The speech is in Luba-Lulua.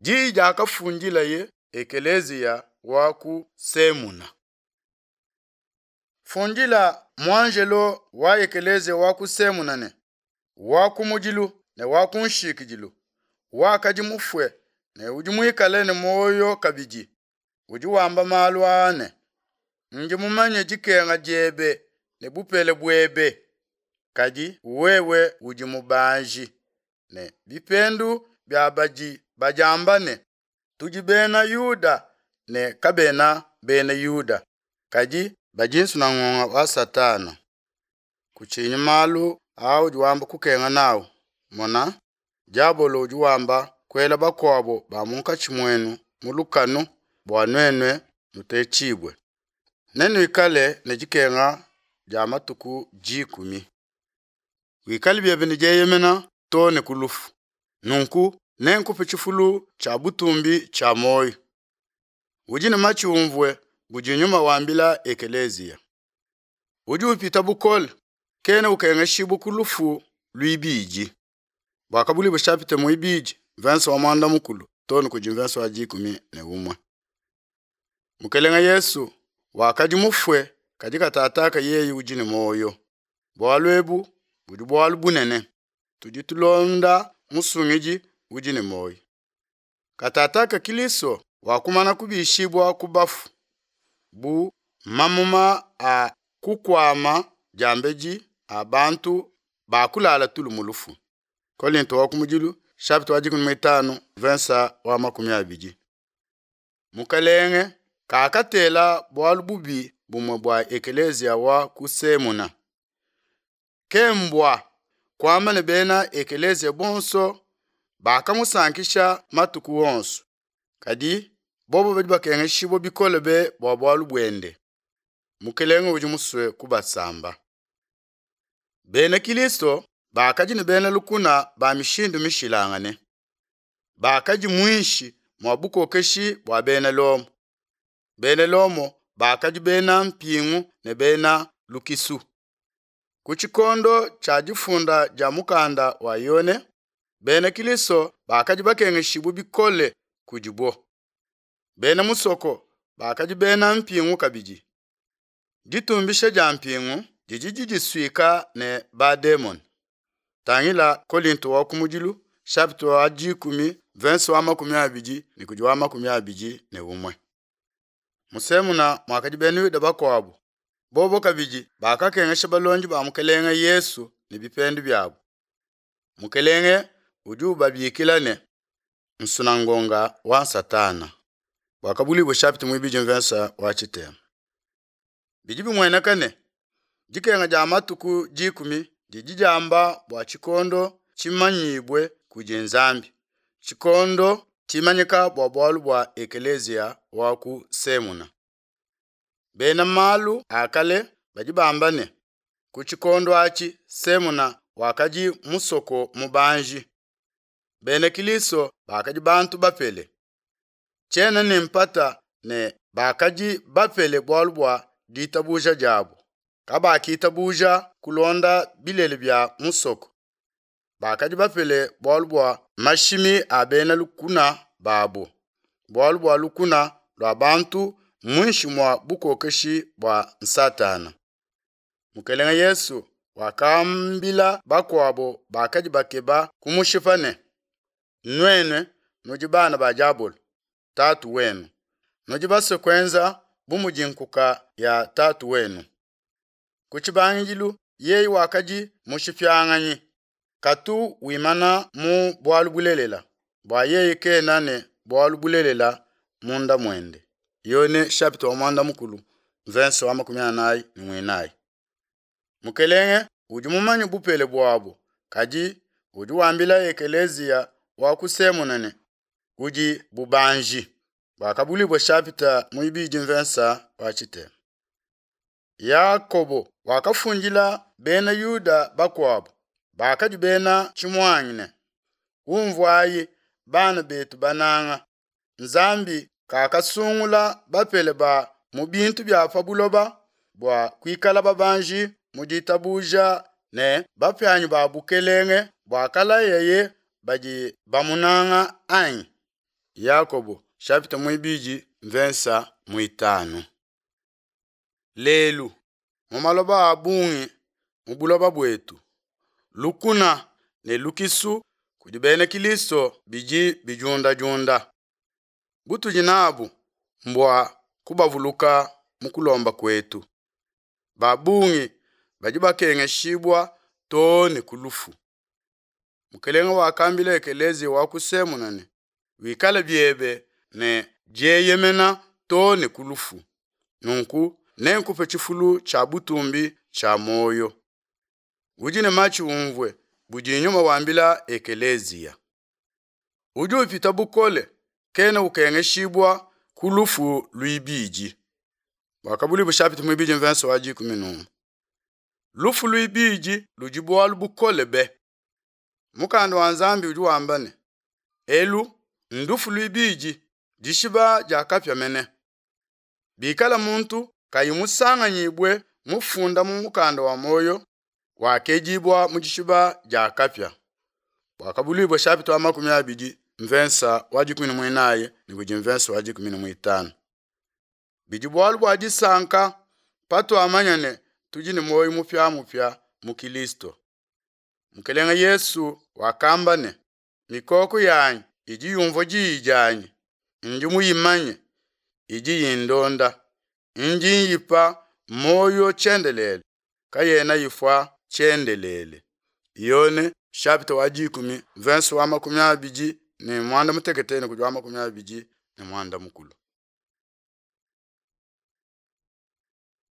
Diyi diakafundilaye ekeleziya wa ku Semuna. Fundila muanjelo wa ekeleziya wa ku Semuna ne, Wa kumudilu ne wa kunshikidilu, wakadi mufue ne udi muikale ne muoyo kabidi, udi wamba malu aa ne, Ndi mumanye dikenga diebe ne bupele buebe, kadi wewe udi mubanji, ne bipendu bia badi badiamba ne, Tudi Bena Yuda, ne kabena Bena Yuda, kadi badi nsunangonga wa Satana. Kutshinyi malu audi wamba kukenga nawu, mona, diabolo udi wamba kuela bakuabo ba munkatshi muenu mu lukanu bua nuenu nutetshibue. Nenuikale ne dikenga dia matuku dikumi. Wikale biebe ne dieyemena too ne ku lufu, nunku nenkupe tshifulu tshia butumbi tshia muoyo. Udi ne matshi umvue budi Nyuma wambila ekeleziya. Udi upita bukole kena ukengeshibua ku lufu luibidi. Buakabuluibua chapitre muibidi verse wa muanda mukulu too ne kudi verse wa 11. Mukelenge Yesu wakadi mufue kadi katataka yeye udi ne muoyo. Bualu ebu budi bualu bunene. Tudi tulonda Musungidi udi ne muoyo. Katataka Kilisto wakumana kubishibua ku bafu bu mamuma a kukuama diambedi a bantu bakulala tulu mu lufu. Kolinto wa kumudilu chapitre wa 15 verse wa 20. Mukelenge kakatela bualu bubi bumue bua ekeleziya wa ku Semuna. Ke mbua kuamba ne bena ekeleziya bonso bakamusankisha matuku onso, kadi bobo badi bakengeshibua bikole be bua bualu buende. Mukelenge udi musue kubasamba. Bena Kilisto bakadi ne bena lukuna ba mishindu mishilangane. Bakadi muinshi mua bukokeshi bua bena Lomo. Bena Lomo bakadi bena mpingu ne bena lukisu. Ku tshikondo tshia difunda dia mukanda wa Yone, bena Kilisto bakadi bakengeshibua bikole kudibo. Bena musoko bakadi bena mpingu kabidi. Ditumbisha dia mpingu didi didisuika ne bademon. Tangila Kolinto wa kumudilu chapitre wa 10 verse wa 20 ne kudi wa 21. Mu Semuna muakadi bena Yuda bakuabo, bobo kabidi bakakengesha balondi ba Mukelenge Yesu ne bipendu biabo. Mukelenge udi ubabikila ne nsunangonga wa Satana. Buakabuluibua chapitre muibidi verse wa tshitema. Bidi bimueneka ne dikenga dia matuku 10 didi diamba bua tshikondo tshimanyibue kudi Nzambi, tshikondo tshimanyika bua bualu bua ekeleziya wa ku Semuna. Bena malu a kale badi bamba ne ku tshikondo atshi Semuna wakadi musoko mubanji. Bena Kilisto bakadi bantu bapele. Tshiena ne mpata ne bakadi bapele bualu bua ditabuja diabo. Kabakitabuja kulonda bilele bia musoko. Bakadi bapele bualu bua mashimi a bena lukuna babo, bualu bua lukuna lua bantu muinshi mua bukokeshi bua Satana. Mukelenge Yesu wakambila bakuabo bakadi bakeba kumushipa ne, Nuenu nudi bana ba diabolo, tatu wenu. Nudi basue kuenza bu mudi nkuka ya tatu wenu. Ku tshibangidilu yeye wakadi mushipianganyi, katu wimana mu bualu bulelela, bua yeye kena ne bualu bulelela munda muende. Yone chapitre wa 14 verse wa 44. Mukelenge udi mumanye bupele buabo, kadi udi wambila ekeleziya wa ku Semuna ne udi bubanji. Buakabuluibua chapitre muibidi verse wa tshitema. Yakobo wakafundila bena Yuda bakuabo bakadi bena tshimuangi ne, Umvuayi bana betu bananga, Nzambi kakasungula bapele ba mu bintu bia pa buloba bua kuikala babanji mu ditabuja ne bapianyi ba bukelenge buakalayaye badi bamunanga anyi? Yakobo shapita muibidi mvensa muitanu. Lelu mu maloba a bungi mu buloba buetu, lukuna ne lukisu kudi bena Kilisto bidi bidiundadiunda. Butudi nabu mbua kubavuluka mu kulomba kuetu. Ba bungi badi bakengeshibua too ne ku lufu. Mukelenge wakambila ekeleziya wa ku Semuna ne, Wikale biebe ne dieyemena too ne ku lufu, nunku nenkupe tshifulu tshia butumbi tshia muoyo. Udi ne matshi umvue budi Nyuma wambila ekeleziya. Udi upita bukole kena ukengeshibua ku lufu luibidi. Buakabuluibua chapitre muibidi mvensa wa dikumi n'umue. Lufu luibidi ludi bualu bukole be. Mukanda wa Nzambi udi wamba ne, Elu ndufu luibidi, dishiba dia kapia mene. Bikala muntu kayi musanganyibue mufunda mu mukanda wa muoyo, wakedibua mu dishiba dia kapia. Buakabuluibua chapitre wa 20 mvensa wa dikumi ne muinayi ne kudi mvensa wa dikumi ne muitanu. Bidi bualu bua disanka patuamanya ne tudi ne muoyo mupiamupia mu Kilisto. Mukelenge Yesu wakamba ne, Mikoko yanyi idi yumvua diyi dianyi, ndi muyimanye, idi indonda, ndi nyipa muoyo tshiendelele, kayena ifua tshiendelele. Yone chapitre wa dikumi verse wa 28 ne kudi wa 24.